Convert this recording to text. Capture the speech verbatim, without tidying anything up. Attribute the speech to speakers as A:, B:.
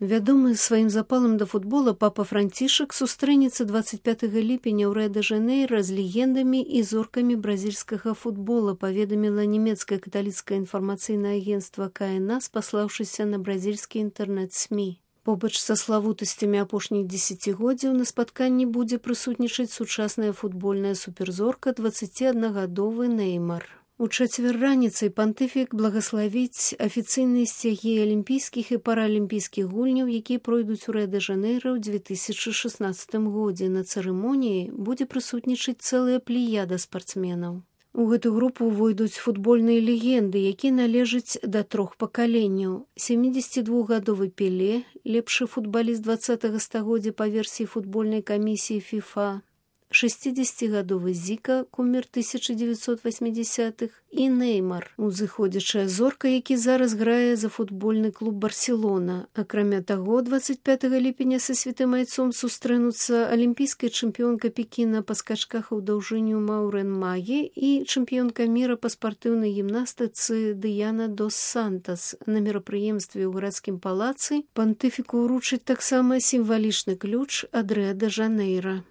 A: Вядомы сваім запалам да футбола папа Францішак сустрэнецца дваццаць пятага ліпеня ў Рыа-дэ-Жанэйра з легендамі і зоркамі бразільскага футбола, паведаміла нямецкае каталіцкае інфармацыйнае агенцтва ка эн а, спаслаўшыся на бразільскі інтэрнэт-смі. Побач са славутасцямі апошніх дзесяцігоддзяў на спатканні будзе прысутнічаць сучасная футбольная суперзорка дваццаціаднагадовы Неймар. У чацвер раніцай пантыфік благаславіць афіцыйныя сцягі алімпійскіх і паралімпійскіх гульняў, якія пройдуць у Рыа-дэ-Жанэйра ў дзве тысячы шаснаццатым годзе. На цырымоніі будзе прысутнічаць цэлая плеяда спартсменаў. У гэту групу ўвойдуць футбольныя легенды, якія належаць да трох пакаленняў. сямідзесятидвухгадовы Пеле, лепшы футбаліст дваццатага стагоддзя па версіі футбольнай камісіі фіфа, шэсцідзесяцігадовы Зіка, кумір тысяча дзевяцьсот васьмідзясятых, і Неймар, узыходзячая зорка, які зараз грае за футбольны клуб Барселона. Акрамя таго, дваццаць пятага ліпеня са святым айцом сустрэнуцца алімпійская чэмпіёнка Пекіна па скачках у даўжыню Маурэн Магі і чэмпіёнка міра па спартыўнай гімнастыцы Дыяна дос Сантас. На мерапрыемстве ў гарадскім палацы пантыфіку ўручаць таксама сімвалічны ключ ад Рыа-дэ-Жанэйра.